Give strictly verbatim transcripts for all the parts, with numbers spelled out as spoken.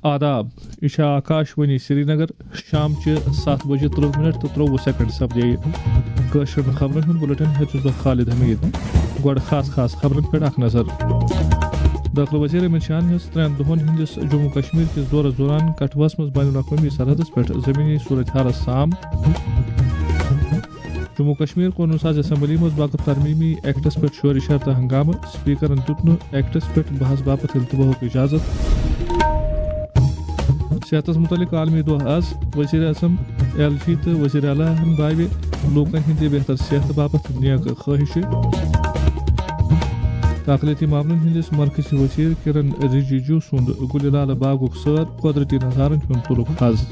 آداب، یہِ چھےٚ آکاش وانی سرینگر۔ شام چہِ ستھ بجے ترٕہ منٹ تہٕ ترٛوٚوُہ سیکنڈ سپدے۔ کٲشرٮ۪ن خبرن ہُنٛد بُلٹن ہیوٚت چھُس بہٕ خالد حمید۔ گۄڈٕ خاص خاص خبرن پٮ۪ٹھ اکھ نظر۔ دٲخلہٕ وزیر امت شاہن ہیٚژ ترٛٮ۪ن دۄہن ہٕنٛدِس جموں کشمیر کِس دورس دوران کٹھوس منٛز بین الاقوٲمی سرحدس پٮ۪ٹھ زمینی صورتحالس سام۔ جموں کشمیر قونوٗن ساز اسمبلی منٛز وقف ترمیمی ایکٹس پٮ۪ٹھ شورِ شرطہٕ ہنگامہٕ، سپیکرن دیُت نہٕ ایکٹس پٮ۪ٹھ بحث باپتھ التواہُک اجازت۔ صحتس متعلق عالمی دۄہ آز، وزیر اعظم، ایل جی تہٕ وزیر اعلیٰ ہن باوِ لوٗکن ہٕنٛدِ بہتر صحتہٕ باپتھ نیک خٲہشہِ۔ اقلیتی معاملن ہٕنٛدِس مرکزی وزیر کرن رجیجو سُنٛد گُلہِ لالہٕ باغُک سٲر، قۄدرتی نظارن ہُنٛد تُلُکھ حظ۔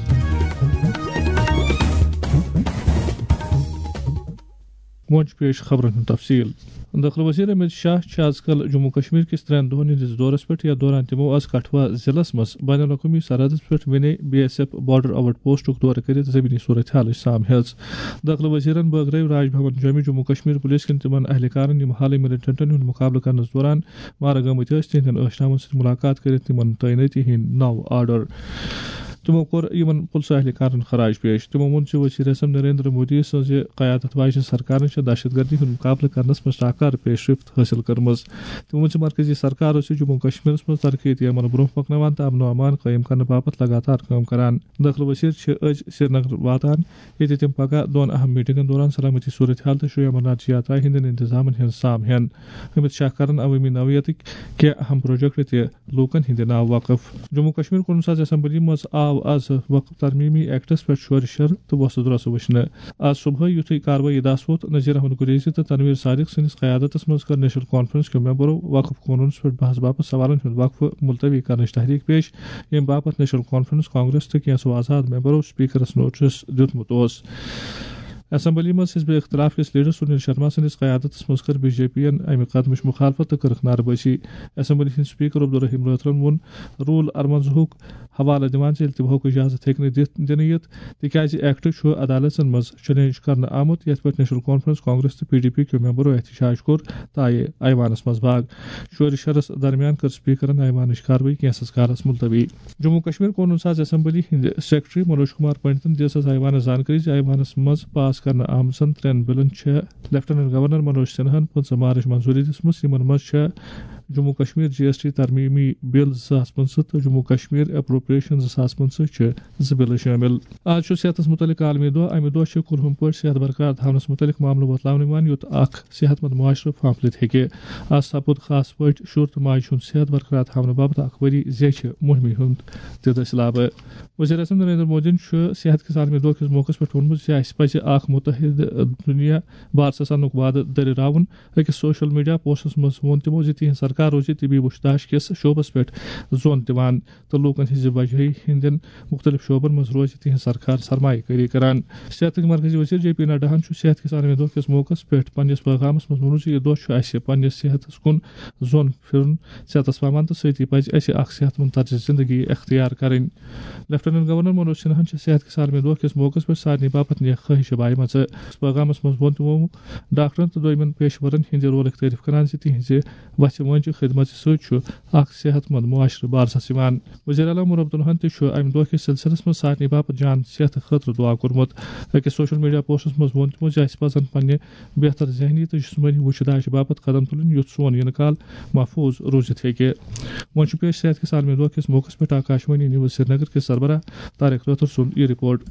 وۄنۍ چھُ پیش خبرن ہُنٛد تفصیل۔ دٲخلہٕ وزیر امت شاہ چھِ از کل جموں کشمیر کِس ترٛٮ۪ن دۄہن ہٕنٛدِس دورس پٮ۪ٹھ، یتھ دوران تِمو از کٹھوا ضلعس منٛز بین الاقوٲمی سرحدس پٮ۪ٹھ ونے B S F border out پوسٹُک دورٕ کٔرِتھ زمینی صورتحالٕچ سام ہیٚژ۔ دٲخلہٕ وزیرن بٲگرٲوۍ راج بھون جوٚمہِ جموں کشمیر پُلیس کٮ۪ن تِمن اہلکارن، یِم حالٕے ملٹنٹن ہُنٛد مُقابلہٕ کرنس دوران مارٕ گٲمٕتۍ ٲسۍ، تِہنٛدٮ۪ن ٲشناون سۭتۍ مُلاقات کٔرِتھ تِمن تعینٲتی ہٕنٛدۍ نو آرڈر۔ تِمو کوٚر یِمن پُلسہٕ اہلکارن خراج پیش۔ تِمو ووٚن زِ وزیر اعظم نریندر مودی سٕنٛزِ قیادت واجنہِ سرکارن چھِ دہشت گردی ہُنٛد مُقابلہٕ کرنس منٛز شاہکار پیش رفت حٲصِل کٔرمٕژ۔ تِمو ووٚن زِ مرکزی سرکار ٲس جموں کشمیرس منٛز ترقیتی عمل برونٛہہ پکناوان تہٕ امن و امان قٲیِم کرنہٕ باپتھ لگاتار کٲم کران۔ دٲخلہٕ وزیر چھِ أزۍ سرینگر واتان، ییٚتہِ تِم پگاہ دۄن اہم میٹنگن دوران سلامتی صورتحال تہٕ شری امرناتھ یاترا ہٕنٛدٮ۪ن انتظامن ہٕنٛز سام ہٮ۪ن۔ امت شاہ کرن عوٲمی نوعیتٕکۍ کینٛہہ اہم پروجیکٹ تہِ لوٗکن ہٕنٛدِ ناوٕ وقف۔ جموں کشمیر قونوٗن ساز اسمبلی منٛز آو از وقف ترمیمی ایکٹس پٮ۪ٹھ شورِ شر تہٕ وۄسہٕ درۄسہٕ وٕچھنہٕ۔ از صبحٲے یُتھُے کاروٲیی دس ووت، نذیر احمد گریزی تہٕ تنویر صادق سٕنٛدِس قیادتس منٛز کٔر نیشنل کانفرنس کیو ممبرو وقف قونوٗنس پٮ۪ٹھ بحث باپتھ سوالن ہُنٛد وقفہٕ ملتوی کرنٕچ تحریک پیش، ییٚمہِ باپتھ نیشنل کانفرنس، کانگریس تہٕ کینٛژھو آزاد ممبرو سپیکرس نوٹس دیُتمُت اوس۔ اسمبلی منٛز حزب اختلاف کِس لیڈر سنیل شرما سٕنٛدِس قیادتس منٛز کٔر بی جے پی یَن امہِ قدمٕچ مخالفت تہٕ کٔرٕکھ نعرٕ بٲزی۔ اسمبلی ہٕنٛدۍ سپیکر عبدالرحیم لوتھرن ووٚن رول ارمنزہُک حوالہٕ دِوان زِ التواہُک اجازت ہیٚکہِ نہٕ دِتھ، دِنہٕ یِتھ، تِکیازِ ایکٹ چھُ عدالژن منٛز چیلنج کرنہٕ آمُت، یتھ پٮ۪ٹھ نیشنل کانفرنس، کانگریس تہٕ پی ڈی پی کیو ممبرو احتجاج کوٚر تہٕ آیہِ ایوانس منٛز باگ۔ شورِ شرس درمیان کٔر سپیکرن ایوانٕچ کاروٲیی کینٛژھس کالس ملتوی۔ جموں کشمیر قونوٗن ساز اسمبلی ہٕنٛدِ سیکرٹری منوج کمار پنڈتن دِژ از ایوانس زانکٲری زِ ایوانس منٛز پاس کرنہٕ آمژن ترٛٮ۪ن بلن چھےٚ لیفٹیننٹ گورنر منوج سنہاہن پٕنٛژٕہ مارچ منظوٗری دِژمٕژ، یِمن منٛز چھےٚ جموں کشمیر جی ایس ٹی ترمیمی بل زٕ ساس پٕنٛژٕہ تہٕ جموں کشمیر اپروپریشن زٕ ساس پٕنٛژٕہ چھِ زٕ بلہٕ شٲمِل۔ آز چھُ صحتس متعلق عالمی دۄہ۔ امہِ دۄہ چھِ کُلہُم پٲٹھۍ صحت برقرار تھاونس متعلق معاملہٕ وۄتلاونہٕ یِوان، یُتھ اکھ صحت مند معاشرٕ پھانپھلِتھ ہیٚکہِ۔ از سپُد خاص پٲٹھۍ شُر تہٕ ماجہِ ہُنٛد صحت برقرار تھاونہٕ باپتھ اکھ ؤری زیچھِ مُہمہِ ہُنٛد تہِ دٔسِلابہٕ۔ وزیر اعظم نریندر مودیَن چھُ صحت کِس عالمی دۄہ کِس موقعس پٮ۪ٹھ ووٚنمُت زِ اَسہِ پَزِ اکھ مُتحد دُنیا بارسَسانُک وعدٕ دٔرِراوُن۔ أکِس سوشل میڈیا پوسٹس منٛز ووٚن تِمو زِ تِہنٛز سرکار روزِ طبی وُچھتاش کِس شعبس پٮ۪ٹھ زون دِوان تہٕ لوٗکَن ہٕنٛزِ بجٲیی ہٕنٛدٮ۪ن مُختٔلِف شعبن منٛز روزِ تِہنٛز سرکار سرمایہ کٲری کران۔ صحتٕکۍ مرکزی وزیر جے پی نڈاہَن چھُ صحت کِس عالمی دۄہ کِس موقعس پٮ۪ٹھ پننِس پیغامس منٛز ووٚنمُت زِ یہِ دۄہ چھُ اَسہِ پننِس صحتس کُن زون پھِرُن، صحتس پاوان تہٕ سۭتی پزِ اَسہِ اکھ صحت مند طرزِ زندگی اختیار کرٕنۍ۔ لیفٹیننٹ گورنر منوج سنہاہن چھِ صحت کِس عالمی دۄہ کِس موقعس پٮ۪ٹھ سارنٕے باپتھ نیک خٲہشہٕ بایمژٕ۔ پیغامس منٛز ووٚن تِمو ڈاکٹرن تہٕ دویمٮ۪ن پیشورن ہٕنٛدِ رولٕکۍ تعریف کران زِ تِہنٛزِ وژھِ وٲنٛجہِ خدمژِ سۭتۍ چھُ اکھ صحت مند معاشرٕ بارسس یِوان۔ وزیر اعلیٰ عمر عبداللہن تہِ چھُ امہِ دۄہ کِس سلسلس منٛز سارنٕے باپتھ جان صحتہٕ خٲطرٕ دعا کوٚرمُت۔ أکِس سوشل میڈیا پوسٹس منٛز ووٚن تِمو زِ اَسہِ پزن پننہِ بہتر ذہنی تہٕ جسمٲنی وُچھداشہِ باپتھ قدم تُلٕنۍ، یُتھ سون یِنہٕ کال محفوظ روٗزِتھ ہیٚکہِ۔ وۄنۍ چھُ پیش صحت کِس عالمی دۄہ کِس موقعس پٮ۪ٹھ آکاشوانی نیوز سرینگر کِس سربراہ طارق رٲتھر سُنٛد یہِ رپورٹ۔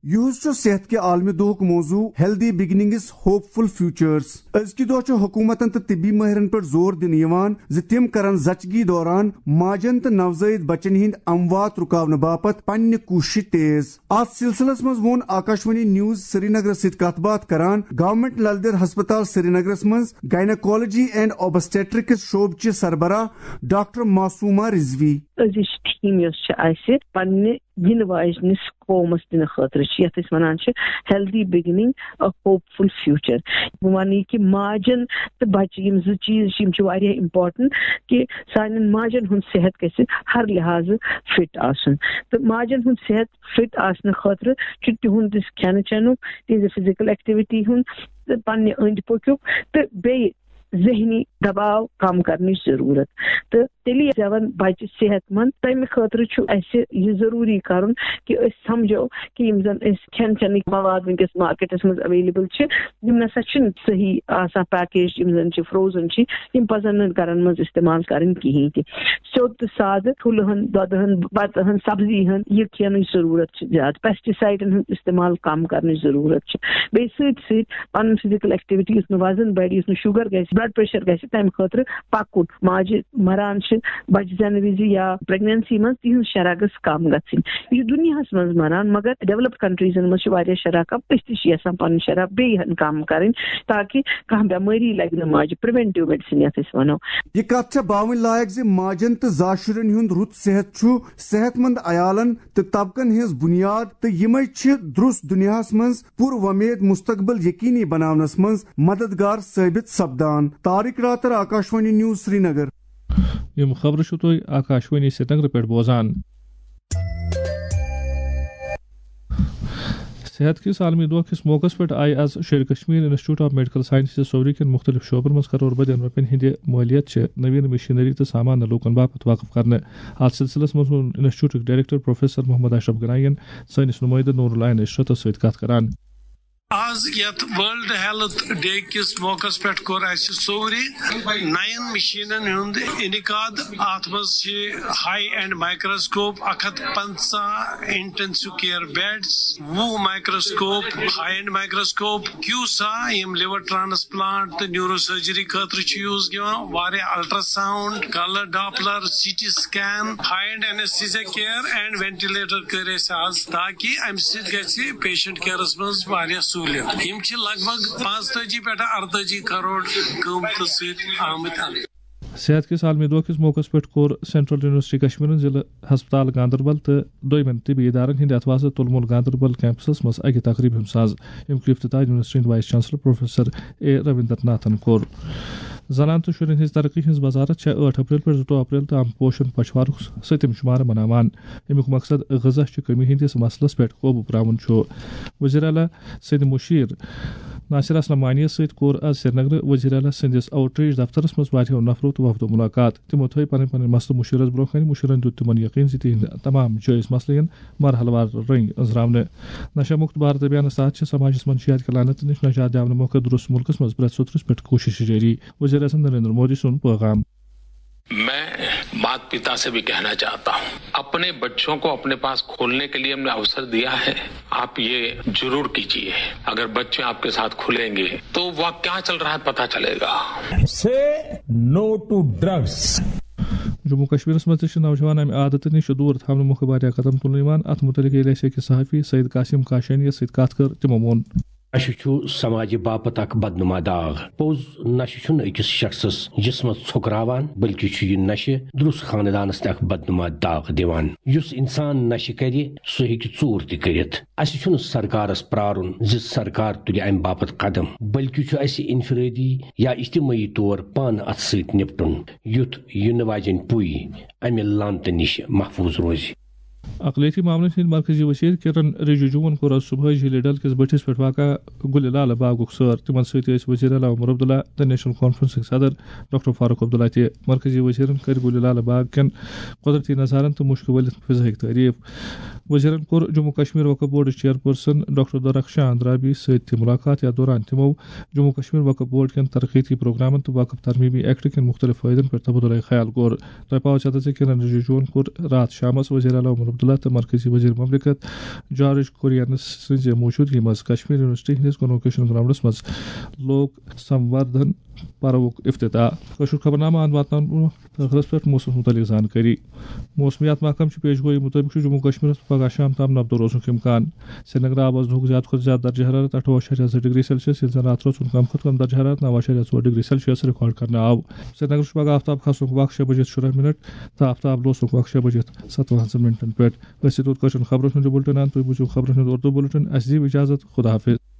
یُہُس چھُ صحت کہِ عالمی دۄہُک موضوع Healthy Beginnings Hopeful Futures۔ أزکہِ دۄہ چھُ حکوٗمتن تہٕ طبی مٲہرن پٮ۪ٹھ زور دِنہٕ یِوان زِ تِم کرن زچگی دوران ماجن تہٕ نوزٲیِد بچن ہٕنٛدۍ اموات رُکاونہٕ باپتھ پننہِ کوٗششہٕ تیز۔ اتھ سلسلس منٛز ووٚن آکاشوانی نیوز سرینگرس سۭتۍ کتھ باتھ کران گورنمنٹ لل دٮ۪د ہسپتال سرینگرس منٛز گائناکالوجی اینڈ اوبسٹیٹرکس شعبہٕ چہِ سربراہ ڈاکٹر معصومہ رضوی۔ أزِچ تھیم یۄس چھِ اَسہِ پننہِ یِنہٕ واجنِس قومس دِنہٕ خٲطرٕ چھِ، یَتھ أسۍ وَنان چھِ Healthy Beginning A Hopeful Future۔ بہٕ وَنہٕ یہِ کہِ ماجن تہٕ بچہِ، یِم زٕ چیٖز چھِ، یِم چھِ واریاہ امپورٹنٹ کہِ سانٮ۪ن ماجن ہُنٛد صحت گژھِ ہر لحاظہٕ فٹ آسُن۔ تہٕ ماجن ہُنٛد صحت فٹ آسنہٕ خٲطرٕ چھُ تِہُنٛد یُس کھٮ۪نہٕ چٮ۪نُک، تِہنٛزِ فزیکل ایکٹیویٹی ہُنٛد تہٕ پننہِ أنٛدۍ پٔکیُک تہٕ بیٚیہِ ذہنی دباو کم کرنٕچ ضروٗرت۔ تہٕ تیٚلی زٮ۪ون بچہِ صحت مند۔ تمہِ خٲطرٕ چھُ اسہِ یہِ ضروٗری کرُن کہِ أسۍ سمجھو کہِ یِم زن أسۍ کھٮ۪ن چٮ۪نٕکۍ مواد وٕنکیٚس مارکیٹس منٛز اویلیبل چھِ، یِم نسا چھِنہٕ صحیح آسان پیکیج، یِم زن چھِ فروزن چھِ، یِم پزن نہٕ گرن منٛز استعمال کرٕنۍ کِہیٖنۍ تہِ۔ سیوٚد تہٕ سادٕ ٹھوٗلہٕ ہن، دۄدٕ ہن، بتہٕ ہن، سبزی ہن، یہِ کھٮ۪نٕچ ضروٗرت چھِ زیادٕ۔ پیسٹیسایڈن ہُنٛد استعمال کم کرنٕچ ضروٗرت چھِ۔ بیٚیہِ سۭتۍ سۭتۍ پنُن فزیکل ایکٹیویٹی، یُس نہٕ وزن بڑِ، یُس نہٕ شوگر گژھِ، بلڈ پریشر گژھِ، تمہِ خٲطرٕ پکُن۔ ماجہِ مران چھِ بچہِ زٮ۪نہٕ وِزِ یا پریگننسی منٛز، تِہنٛز شرح گٔژھ کم گژھٕنۍ۔ یہِ چھُ دُنیاہس منٛز مران، مگر ڈیولپڈ کنٹریزن منٛز چھِ واریاہ شرح کم۔ أسۍ تہِ چھِ یژھان پنٕنۍ شرح بیٚیہِ ہن کم کرٕنۍ، تاکہِ کانٛہہ بٮ۪مٲری لگہِ نہٕ ماجہِ، پریونٹیو میڈیسن یتھ أسۍ ونو۔ یہِ کتھ چھےٚ باوٕنۍ لایق زِ ماجن تہٕ زاشُرٮ۪ن ہُنٛد رُت صحت چھُ صحت مند عیالن تہٕ طبقن ہٕنٛز بُنیاد، تہٕ یِمے چھِ درُس دُنیاہس منٛز پُر وۄمید مستقبل یقینی بناونس منٛز مددگار ثٲبت سپدان۔ طارق راتر، آکاشوانی نیوز، سرینگر۔ یِم خبرٕ چھِو تُہۍ آکاشوانی سرینگرٕ پٮ۪ٹھ بوزان۔ صحت کِس عالمی دۄہ کِس موقعس پٮ۪ٹھ آیہِ آز Sher-e Kashmir institute of medical sciences Soura کٮ۪ن مختلف شعبن منٛز کرور بدین رۄپین ہٕنٛدِ مٲلیت چہِ نوین مشینری تہٕ سامان لوٗکن باپتھ وقف کرنہٕ۔ اتھ سلسلس منٛز ووٚن انسٹیٹیوٹٕکۍ ڈائریکٹر پروفیسر محمد اشرف گناین سٲنِس نمٲیندٕ نور العین عشرتس سۭتۍ کتھ کران۔ آز یتھ ورلڈ ہیلتھ ڈے کِس موقعس پٮ۪ٹھ کوٚر اسہِ سوری نَین مشینن ہُنٛد انعقاد۔ اتھ منٛز چھِ ہائی اینڈ مائیکروسکوپ، اکھ ہتھ پنژاہ انٹینسو کیئر بیڈز، وُہ microscope, high end microscope, CUSA, یِم لیور ٹرانسپلانٹ تہٕ نیورو سرجری خٲطرٕ چھِ یوز یِوان، واریاہ ultrasound, colour Doppler, C T scan, high end anaesthesia care and ventilator کٔرۍ اسہِ آز، تاکہِ امہِ سۭتۍ گژھِ پیشنٹ کیئرس منٛز واریاہ سہولیت۔ یِم چھِ لگ بھگ پانٛژتٲجی پٮ۪ٹھ ارتٲجی کرور قۭمتہٕ سۭتۍ آمٕتۍ اننہٕ۔ صحت کِس عالمی دۄہ کِس موقعس پٮ۪ٹھ کوٚر سینٹرل یونیورسٹی کشمیرن ضلع ہسپتال گاندربل تہٕ دویمٮ۪ن طبی ادارن ہٕنٛدِ اتھوازٕ تُلمُل گاندربل کیمپسس منٛز اکہِ تقریبہِ ہُنٛد ساز، ییٚمیُک افتتاح یونیورسٹی ہٕنٛدۍ vice chancellor professor A Ravinder ناتھن کوٚر۔ زنان تہٕ شُرٮ۪ن ہٕنٛز ترقی ہٕنٛز وزارت چھےٚ ٲٹھ اپریل پٮ۪ٹھ زٕتووُہ اپریل تام پوشن پچھوارُک سٔتِم شُمارٕ مناوان۔ اَمیُک مقصد غذا چہِ کمی ہٕنٛدِس مسلس پٮ۪ٹھ قوبوٗ پراوُن چھُ۔ وزیر اعلیٰ سٕنٛدِ مُشیر ناصر اسلم وانی یَس سۭتۍ کوٚر آز سرینگرٕ وزیر اعلیٰ سٕنٛدِس آؤٹ ریچ دفترس منٛز واریاہو نفرو تہٕ وفدو مُلاقات۔ تِمو تھٲوۍ پنٕنۍ پنٕنۍ مسلہٕ مُشیرس برونٛہہ کنہِ۔ مُشیرن دیُت تِمن یقین زِ تِہنٛدۍ تمام جٲیز مسلہٕ یِن مرحلہٕ وار رٔنگۍ أنٛزراونہٕ۔ نشہ مکت بھارت ابھیانس تحت چھِ سماجس منٛز نشہٕ یات کہِ لعنتہٕ نِش نجات دِنہٕ موقعہٕ درست مُلکس منٛز پرٛٮ۪تھ سوٚترس پٮ۪ٹھ کوٗشش جٲری۔ وزیر اعظم نریندر مودی سُنٛد پیغام۔ میں माता पिता से भी कहना चाहता हूँ, अपने बच्चों को अपने पास खोलने के लिए हमने अवसर दिया है, आप ये जरूर कीजिए। अगर बच्चे आपके साथ खुलेंगे तो वह क्या चल रहा है पता चलेगा। Say no to drugs. Jammu کشمیرس منٛز تہِ چھِ نوجوان امہِ عادتہٕ نِش دوٗر تھاونہٕ مۄکھٕ واریاہ قدم تُلنہٕ یِوان۔ اتھ متعلق ییٚلہِ اسہِ أکِس صحافی سعید قاسم کاشانی یَس سۭتۍ کتھ کٔر، تِمو ووٚن۔ نشہٕ چھُ سماجہِ باپتھ اکھ بدنما داغ۔ پوٚز، نشہٕ چھُنہٕ أکِس شخصس جسمس ژھۄکراوان، بلکہِ چھُ یہِ نشہٕ درُس خاندانس تہِ اکھ بدنما داغ دِوان۔ یُس انسان نشہٕ کرِ، سُہ ہیٚکہِ ژوٗر تہِ کٔرِتھ۔ اسہِ چھُنہٕ سرکارس پرارُن زِ سرکار تُلہِ امہِ باپتھ قدم، بلکہِ چھُ اسہِ انفرٲدی یا اجتمٲعی طور پانہٕ اتھ سۭتۍ نپٹُن، یُتھ یِنہٕ واجٮ۪ن پُے امہِ لعنتہٕ نِش محفوظ روزِ۔ اقلیتی معاملن ہٕنٛدۍ مرکزی وزیر کرن رجیجوَن کوٚر آز صبحٲے جھیلہِ ڈل کِس بٔٹھِس پٮ۪ٹھ واقع گُلہِ لالہٕ باغُک سٲر۔ تِمن سۭتۍ ٲسۍ وزیر اعلیٰ عمر عبداللہ تہٕ نیشنل کانفرنسٕکۍ صدر ڈاکٹر فاروق عبداللہ تہِ۔ مرکزی وزیرن کٔرۍ گُلہِ لالہٕ باغ کٮ۪ن قۄدرتی نظارن تہٕ مُشکہِ ؤلِتھ فضاہٕکۍ تعریف۔ وزیرن کوٚر جموں کشمیر وقف بورڈٕچ چیئرپرسن ڈاکٹر درخشان اندرابی سۭتۍ تہِ مُلاقات، یتھ دوران تِمو جموں کشمیر وقف بورڈ کٮ۪ن ترقیتی پروگرامن تہٕ وقف ترمیمی ایکٹ کٮ۪ن مُختٔلِف فٲیدن پٮ۪ٹھ تبادلہ خیال کوٚر۔ تۄہہِ پاوٕ چتس زِ کِرن رِجِجوٗہن کوٚر راتھ شامس وزیر اعلیٰ عمر عبداللہ تہٕ مرکزی وزیر مملکت جارج کُریَن سٕنٛزِ موجودگی منٛز کشمیر یونیورسٹی ہٕنٛدِس کنووکیشن گراؤنڈس منٛز لوک سموردھن پروُک افتتاح۔ کٲشُر خبرنامہٕ اَنٛد واتناونہٕ برٛونٛہہ ٲخرس پٮ۪ٹھ موسمس مُتعلق زانکٲری۔ موسمیات محکمہٕ چھِ پیش گویی مُطٲبِق چھُ جموں کشمیرس پگاہ شام تام نبدو روزنُک امکان۔ سرینگر آو آز دُہُک زیادٕ کھۄتہٕ زیادٕ درجہ حرارت اَٹھووُہ اَشاریہ زٕ ڈگری سیلسیس، ییٚلہِ زن راتھ روز ہُنٛد کم کھۄتہٕ کم درجہ حرارت نَو اَشاریہ ژور ڈگری سیلسیس ریکارڈ کرنہٕ آو۔ سرینگر چھُ پگاہ آفتاب کھسنُک وق شےٚ بجے شُراہ منٹ تہٕ آفتاب لوسنُک وق شےٚ بجے ستوَن منٹن پٮ۪ٹھ۔ أسۍ چھِ توٚت کٲشرٮ۪ن خبرن ہُنٛد یہِ بُلٹن اَنان۔ تُہۍ بوٗزِو خبرن ہُنٛد اردو بُلٹن۔ اَسہِ دِیِو اجازت۔ خدا حافظ۔